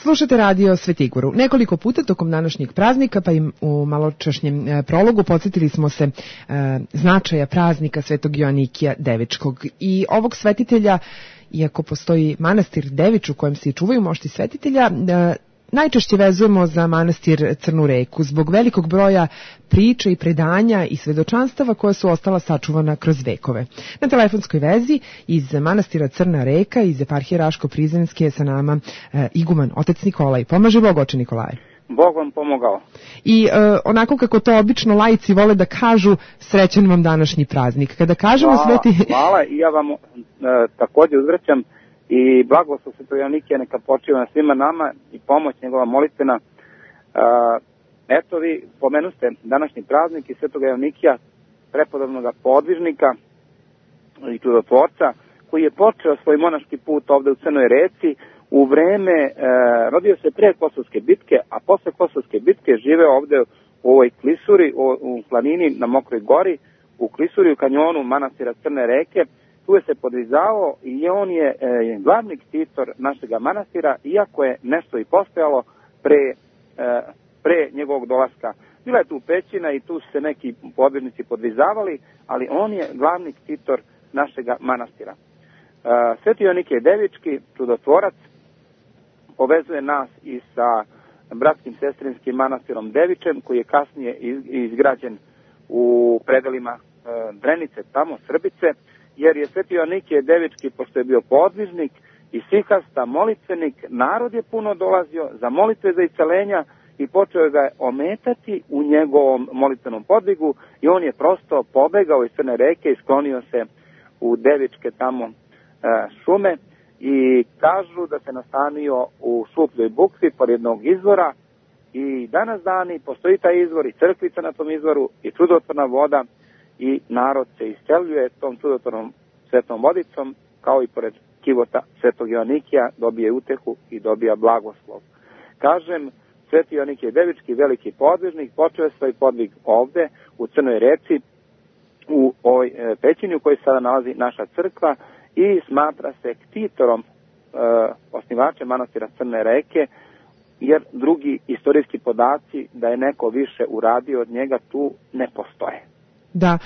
Slušate radio Svetigoru. Nekoliko puta tokom današnjeg praznika, pa i u maločašnjem prologu, podsjetili smo se značaja praznika Svetog Joanikija Devičkog. I ovog svetitelja, iako postoji manastir Devič u kojem se čuvaju mošti svetitelja, najčešće vezujemo za manastir Crnu reku zbog velikog broja priča i predanja i svedočanstava koja su ostala sačuvana kroz vekove. Na telefonskoj vezi iz manastira Crna reka iz eparhije Raško-Prizrenske je sa nama iguman otec Nikolaj. Pomaže Bog, oče Nikolaje. Bog vam pomogao. I onako kako to obično laici vole da kažu, srećan vam današnji praznik. Kada kažemo hvala i ja vam također uzvraćam i blagoslov Svetog Joanikija neka počiva na svima nama i pomoć njegova molitvena. Eto, vi pomenuste današnji praznik i Svetog Joanikija, prepodobnog podvižnika i čudotvorca, koji je počeo svoj monaški put ovde u Crnoj reci u vreme, rodio se pre Kosovske bitke, a posle Kosovske bitke živeo ovde u ovoj klisuri, u planini na Mokroj gori, u klisuri u kanjonu manastira Crne reke. Tu je se podvizao i on je glavni ktitor našeg manastira, iako je nešto i postojalo pre njegovog dolaska. Bila je tu pećina i tu su se neki podvižnici podvizavali, ali on je glavni ktitor našeg manastira. Sveti Joanikije Devički, čudotvorac, povezuje nas i sa bratskim sestrinskim manastirom Devičem, koji je kasnije izgrađen u predelima Drenice, tamo Srbice, jer je Sveti Joanikije Devički, pošto je bio podvižnik i sihasta, molitvenik, narod je puno dolazio za molitve za iscelenja i počeo ga je ometati u njegovom molitvenom podvigu i on je prosto pobegao iz Crne reke i sklonio se u Devičke tamo šume i kažu da se nastanio u Šupljoj bukvi pored jednog izvora i danas dani postoji taj izvor i crkvica na tom izvoru i čudotvorna voda i narod se isceljuje tom čudotvornom svetom vodicom, kao i pored kivota Svetog Joanikija dobije utehu i dobija blagoslov. Kažem, Sveti Joanikije Devički, veliki podvižnik, počeo je svoj podvig ovde u Crnoj reci, u ovoj pećini u kojoj sada nalazi naša crkva i smatra se ktitorom osnivačem manastira Crne reke, jer drugi istorijski podaci da je neko više uradio od njega tu ne postoje. Da,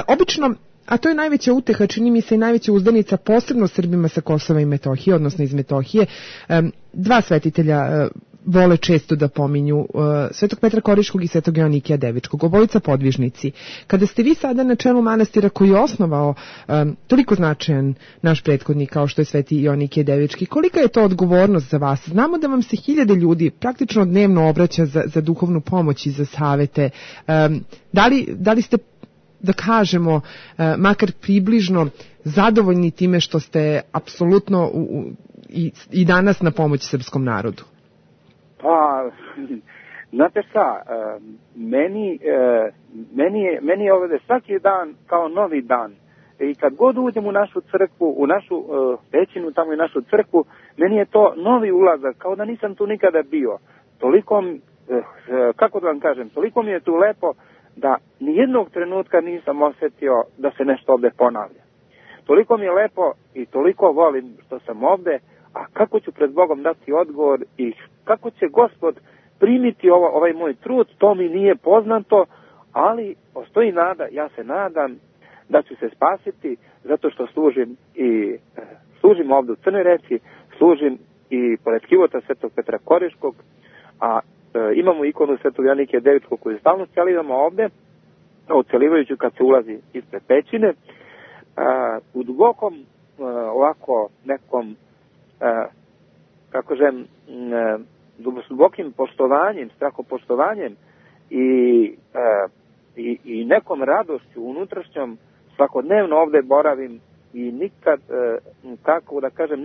obično, a to je najveća uteha, čini mi se i najveća uzdanica, posebno Srbima sa Kosova i Metohije, odnosno iz Metohije. Dva svetitelja vole često da pominju, Svetog Petra Koriškog i Svetog Joanikija Devičkog, obojica podvižnici. Kada ste vi sada na čelu manastira koji je osnovao toliko značajan naš prethodnik kao što je Sveti Joanikije Devički, kolika je to odgovornost za vas? Znamo da vam se hiljade ljudi praktično dnevno obraća za duhovnu pomoć i za savete. Da li ste, da kažemo, makar približno zadovoljni time što ste apsolutno i danas na pomoć srpskom narodu? Pa, znate šta, meni je ovdje svaki dan kao novi dan. I kad god uđem u našu crkvu, u našu pećinu, tamo i našu crkvu, meni je to novi ulazak, kao da nisam tu nikada bio. Toliko, kako da vam kažem, toliko mi je tu lepo da nijednog trenutka nisam osjetio da se nešto ovdje ponavlja. Toliko mi je lepo i toliko volim što sam ovdje, a kako ću pred Bogom dati odgovor i kako će Gospod primiti ovaj moj trud, to mi nije poznato, ali postoji nada, ja se nadam da ću se spasiti zato što služim ovdje u Crnoj reci, služim i pored kivota Svetog Petra Koriškog, a imamo ikonu Svetog Joanikija Devičkog koju stalno celivamo ovdje, ocelivajuću kad se ulazi ispred pećine, u dubokom ovako nekom dubokim poštovanjem, strahopoštovanjem i nekom radošću unutrašnjom svakodnevno ovdje boravim i nikad, kako da kažem,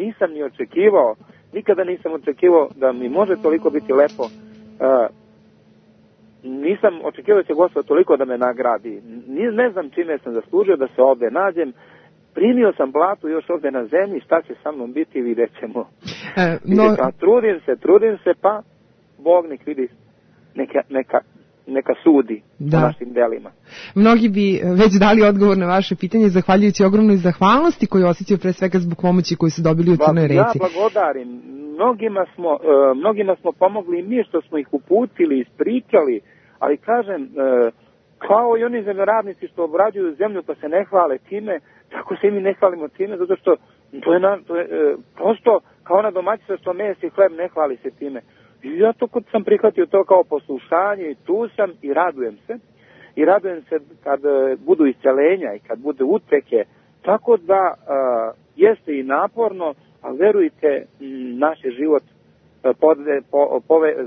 nikada nisam očekivao da mi može toliko biti lepo. Nisam očekivao da će Gospod toliko da me nagradi. Ne znam čime sam zaslužio da se ovdje nađem. Primio sam platu još ovdje na zemlji, šta će sa mnom biti, vidjet ćemo. Trudim se, pa Bog nek vidi, neka neka sudi o našim delima. Mnogi bi već dali odgovor na vaše pitanje, zahvaljujući ogromnoj zahvalnosti koju osjećaju pre svega zbog pomoći koju su dobili u Crnoj Reci. Ja blagodarim. Mnogima smo pomogli i mi što smo ih uputili, ispričali, ali kažem, kao i oni zemljoradnici što obrađuju zemlju pa se ne hvale time, tako se i mi ne hvalimo time, zato što to je prosto kao na domaćica što mes i hleb ne hvali se time. I ja to sam prihvatio to kao poslušanje i tu sam i radujem se. I radujem se kad budu iscelenja i kad bude uteke, tako da jeste i naporno, ali verujte, naš je život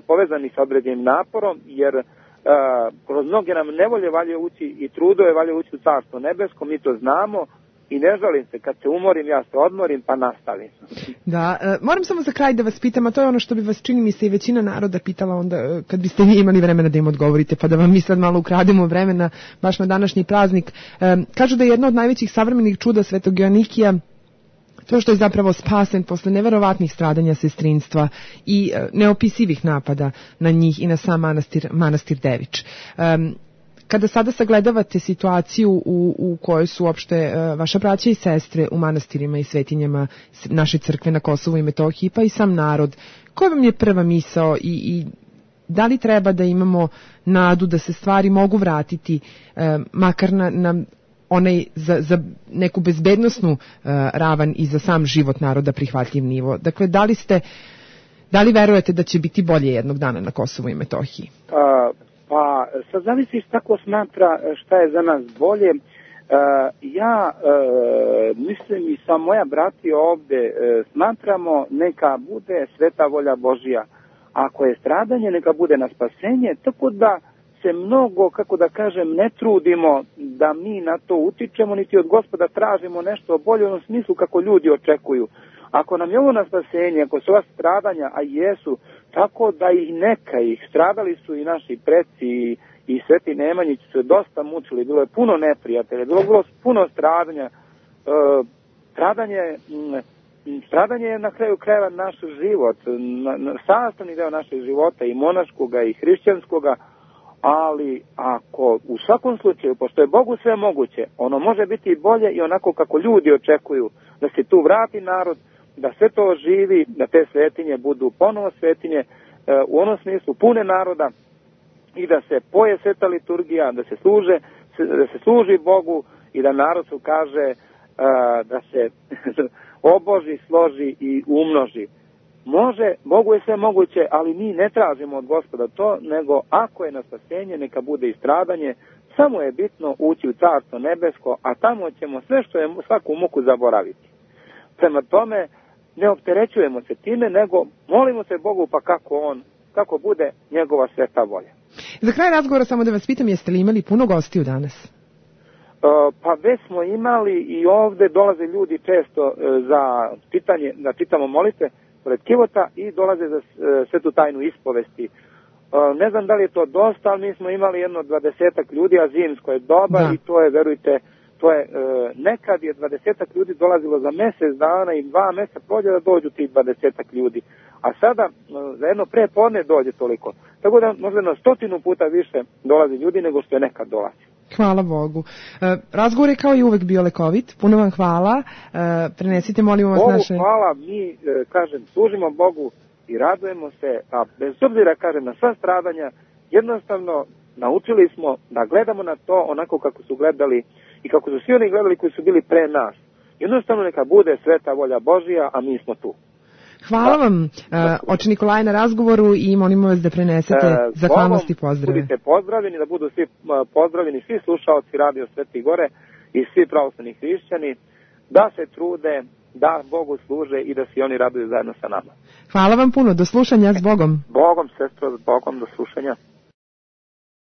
povezani sa određenim naporom, jer kroz mnoge nam nevolje valje ući i trudove valje ući u Carstvo nebesko, mi to znamo i ne žalim se, kad se umorim ja se odmorim pa nastavim. Da, moram samo za kraj da vas pitam, a to je ono što bi vas čini mi se i većina naroda pitala onda kad biste vi imali vremena da im odgovorite, pa da vam mi sad malo ukrademo vremena baš na današnji praznik. Kažu da je jedno od najvećih savremenih čuda Svetog Joanikija to što je zapravo spasen posle neverovatnih stradanja sestrinstva i neopisivih napada na njih i na sam manastir Devič. Kada sada sagledavate situaciju u kojoj su uopšte vaša braća i sestre u manastirima i svetinjama naše crkve na Kosovu i Metohiji, pa i sam narod, koja vam je prva misao i da li treba da imamo nadu da se stvari mogu vratiti makar na onaj za neku bezbednosnu ravan i za sam život naroda prihvatljiv nivo? Dakle, da li verujete da će biti bolje jednog dana na Kosovu i Metohiji? Pa, sad zavisi kako smatra šta je za nas bolje. Ja mislim i sa moja brati ovde smatramo neka bude sveta volja Božija. Ako je stradanje, neka bude na spasenje, tako da se mnogo, kako da kažem, ne trudimo da mi na to utičemo, niti od Gospoda tražimo nešto bolje u onom smislu kako ljudi očekuju. Ako nam je ovo na spasenje, ako su ova stradanja, a jesu, tako da i neka ih, stradali su i naši preci i Sveti Nemanjić su dosta mučili, bilo je puno neprijatelja, bilo puno stradanja. Stradanje je na kraju krajeva naš život, sastavni deo našeg života i monaškoga i hrišćanskoga, ali ako u svakom slučaju, pošto je Bogu sve moguće, ono može biti bolje i onako kako ljudi očekuju, da se tu vrati narod, da sve to živi, da te svetinje budu ponovo svetinje, u onom smislu pune naroda i da se poje sveta liturgija, da se služi Bogu i da narod su kaže da se oboži, složi i umnoži. Može, Bogu je sve moguće, ali mi ne tražimo od Gospoda to, nego ako je na spasenje, neka bude i stradanje, samo je bitno ući u Carstvo nebesko, a tamo ćemo sve što je svaku muku zaboraviti. Prema tome, ne opterećujemo se time, nego molimo se Bogu pa kako bude njegova sveta volja. Za kraj razgovora samo da vas pitam, jeste li imali puno gostiju danas? Pa već smo imali i ovde dolaze ljudi često za pitanje, da čitamo molitve pored kivota i dolaze za svetu tajnu ispovesti. Ne znam da li je to dosta, ali mi smo imali jedno 20 ljudi, a zimsko je doba i to je, verujte, nekad je 20 ljudi dolazilo za mjesec dana i 2 mjeseca prođe da dođu tih 20 ljudi. A sada za jedno prepodne dođe toliko. Tako da možda na 100 puta više dolazi ljudi nego što je nekad dolazi. Hvala Bogu. Razgovor je kao i uvek bio lekovit. Puno vam hvala. Prenesite, molimo vas, naše... Hvala, mi, kažem, služimo Bogu i radujemo se, a bez obzira, kažem, na sva stradanja, jednostavno naučili smo da gledamo na to onako kako su gledali i kako su svi oni gledali koji su bili pre nas. Jednostavno neka bude sveta volja Božija, a mi smo tu. Hvala vam, oče Nikolaje, na razgovoru i molimo vas da prenesete zahvalnost i pozdrave. Budite pozdravljeni, da budu svi pozdravljeni, svi slušaoci Radio Sveti Gore i svi pravoslavni hrišćani, da se trude, da Bogu služe i da se oni raduju zajedno sa nama. Hvala vam puno, do slušanja, s Bogom. Bogom, sestro, s Bogom, do slušanja.